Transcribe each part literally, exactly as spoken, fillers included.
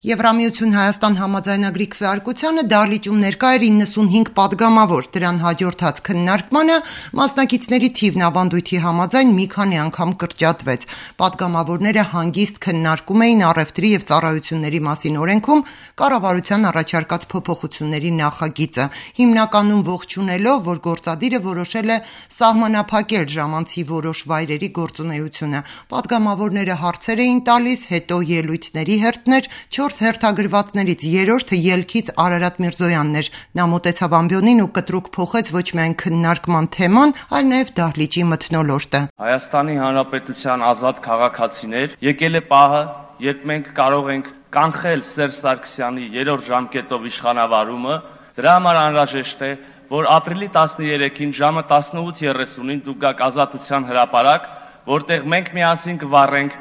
Եվրամիություն Հայաստան համաձայնագրի քվեարկությանը դահլիճում ներկա էր իննսունհինգ պատգամավոր, դրան հաջորդած քննարկմանը մասնակիցների թիվն ավանդույթի համաձայն մի քանի անգամ կրճատվեց։ Պատգամավորները հանգիստ քննարկում էին առևտրի և ծառայությունների մասին օրենքում կառավարության առաջարկած փոփոխությունների նախագիծը, հիմնականում ողջունելով, որ գործադիրը որոշել է սահմանափակել ժամանցի որոշ վայրերի գործունեությունը։ Պատգամավորները հարցեր էին տալիս, հետո ելույթների հերթներ, չորս հերթագրվածներից երրորդը ելքից Արարատ Միրզոյանն էր։ Նա մոտեցավ ամբիոնին ու կտրուկ փոխեց ոչ միայն քննարկման թեման, այլ նաև դահլիճի մթնոլորտը։ Հայաստանի Հանրապետության ազատ քաղաքացիներ, եկել է պահը, երբ մենք կարող ենք կանխել Սերժ Սարգսյանի երրորդ ժամկետով իշխանավարումը, դրա համար անհրաժեշտ է, որ ապրիլի տասներեքին ժամը տասնութ երեսունին դուք գաք Ազատության հրապարակ, որտեղ մենք միասին կվառենք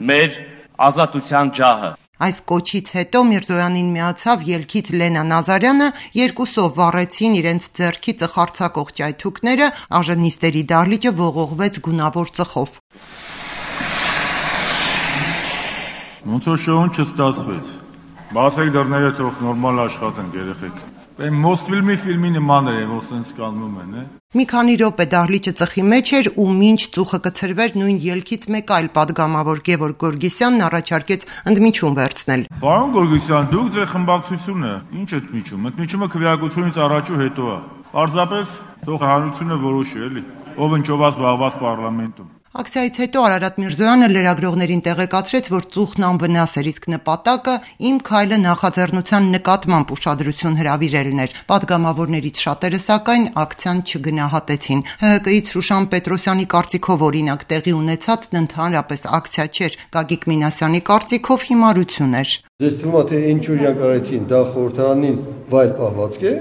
մեր ազատության ջահը։ Այս կոչից հետո Միրզոյանին միացավ ելքից Լենա Նազարյանը, երկուսով վառեցին իրենց ձեռքի ծխարցակող ճայթուկները, աժնիստերի դահլիճը ողողվեց գունավոր ծխով։ Ոնց որ շոուն չստացվեց։ Բացեք դռները, թող նորմալ աշխատեն երեխեք։ Այն Մոսֆիլմի ֆիլմի նման է, որ սենց կանվում են, է։ Մի քանի րոպե դահլիճը ծխի մեջ էր ու մինչ ծուխը կցրվեր նույն ելքից մեկ այլ պատգամավոր Գևորգ Գորգիսյանն առաջարկեց ընդմիջում վերցնել։ Պարոն Գորգիսյան, դուք ձեր խմբակցությունը ինչ եք միջում։ Ընդմիջումը քվեարկությունից առաջ ու հետո է։ Պարզապես թող հանրությունը որոշի, էլի։ Ով ինչով զբաղված պարլամենտում։ Ակցիայից հետո Արարատ Միրզոյանը լրագրողներին տեղեկացրեց, որ ծուխն անվնաս էր, իսկ նպատակը իմ քայլը նախաձեռնության նկատմամբ ուշադրություն հրավիրելն էր։ Պատգամավորներից շատերը սակայն ակցիան չգնահատեցին։ ՀՀԿ-ից Շուշան Պետրոսյանի կարծիքով օրինակ տեղի ունեցածն ընդհանրապես ակցիա չէր, Գագիկ Մինասյանի կարծիքով հիմարություն էր։ Ձեզ թվում է, թե ինչ օրինակ արեցին, դա խորհրդարանին վայել պահվածք է,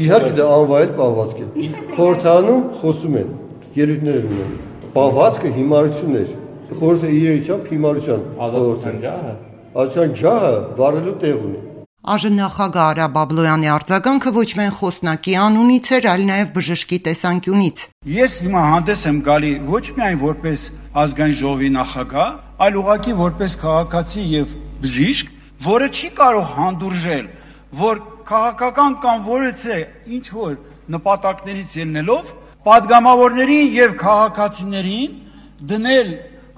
իհարկե դա անվայել պահվածք է։ Խորհրդարանում խոսում են, ելույթներ ունեն։ Պահվածքը հիմարություն էր, խորհուրդը իրենությամբ հիմարության ազատության ջահը, ազատության ջահը վառելու տեղ ունի։ ԱԺ նախագահ Արա Բաբլոյանի արձագանքը ոչ միայն խոսնակի անունից էր, այլ նաև բժշկի տեսանկյունից։ Ես հիմա հանդես եմ գալի ոչ միայն որպես ազգային ժողովի նախագահ, այլ ուղղակի որպես քաղաքացի եւ բժիշկ, որը չի կարող հանդուրժել, որ քաղաքական կամ որևէ ինչ որ նպատակներից ելնելով պատգամավորներին եւ քաղաքացիներին դնել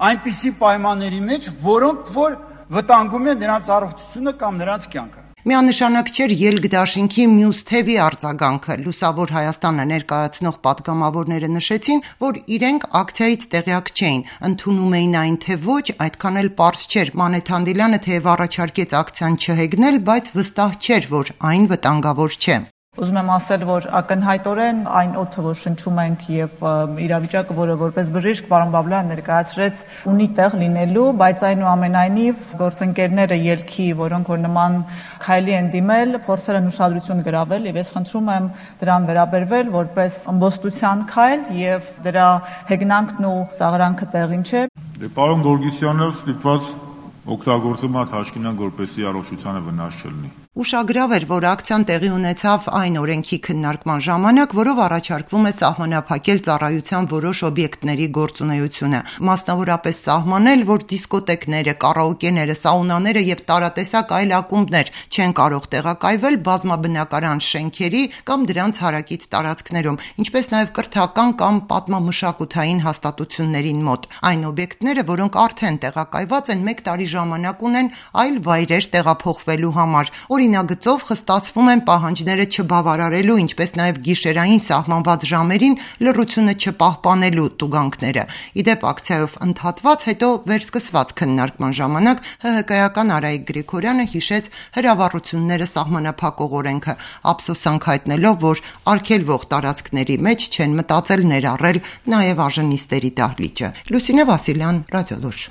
այնպիսի պայմանների մեջ, որոնք որ վտանգում են նրանց առողջությունը կամ նրանց կյանքը։ Միանշանակ չէր Ելք դաշինքի մյուս թևի արձագանքը։ Լուսավոր Հայաստանը ներկայացնող պատգամավորները նշեցին, որ իրենք ակցիայից տեղյակ չէին, ընդունում էին այն թե ոչ, այդքան էլ պարզ չէր։ Մանեթ Հանդիլյանը թեև առաջարկեց ակցիան չհեգնել, բայց վստահ չէր, որ այն վտանգավոր չէ։ Ուզում եմ ասել, որ ակնհայտորեն այն օդը, որ շնչում ենք եւ իրավիճակը, որը որպես բժիշկ պարոն Բաբլոյանը ներկայացրեց, ունի տեղ լինելու, բայց այնուամենայնիվ գործընկերները ելքի, որոնք որ նման քայլի են դիմել, փորձել են ուշադրություն գրավել եւ ես խնդրում եմ դրան վերաբերվել որպես ըմբոստության քայլ եւ դրա հեգնանքն ու ծաղրանքը տեղին չէ։ Դե պարոն Գորգիսյանը ստիպված օգտագործում է թաշկինան, որպեսզի առողջությանը վնաս չլինի։ Ուշագրավ էր, որ ակցիան տեղի ունեցավ այն օրենքի քննարկման ժամանակ, որով առաջարկվում է սահմանափակել ծառայության որոշ օբյեկտների գործունեությունը, մասնավորապես սահմանել, որ դիսկոտեկները, կարաոկեները, սաունաները եւ տարատեսակ այլ ակումբներ չեն կարող տեղակայվել բազմաբնակարան շենքերի կամ դրանց հարակից տարածքներում, ինչպես նաեւ կրթական կամ պատմամշակութային հաստատություններին մոտ։ Այն օբյեկտները, որոնք արդեն տեղակայված են, մեկ տարի ժամանակ ունեն այլ վայրեր տեղափոխվելու համար։ Օրինագծով խստացվում են պահանջները չբավարարելու, ինչպես նաև գիշերային սահմանված ժամերին լռությունը չպահպանելու տուգանքները։ Իդեպ ակցիայով ընդհատված, հետո վերսկսված քննարկման ժամանակ ՀՀԿ-ական Արայիկ Գրիգորյանը հիշեց հրավառությունները սահմանափակող օրենքը, ափսոսանք հայտնելով, որ արգելվող տարածքների մեջ չեն մտածել ներառել նաև աժնիստերի դահլիճը։ Լուսինե Վասիլյան, Ռադիոլուր։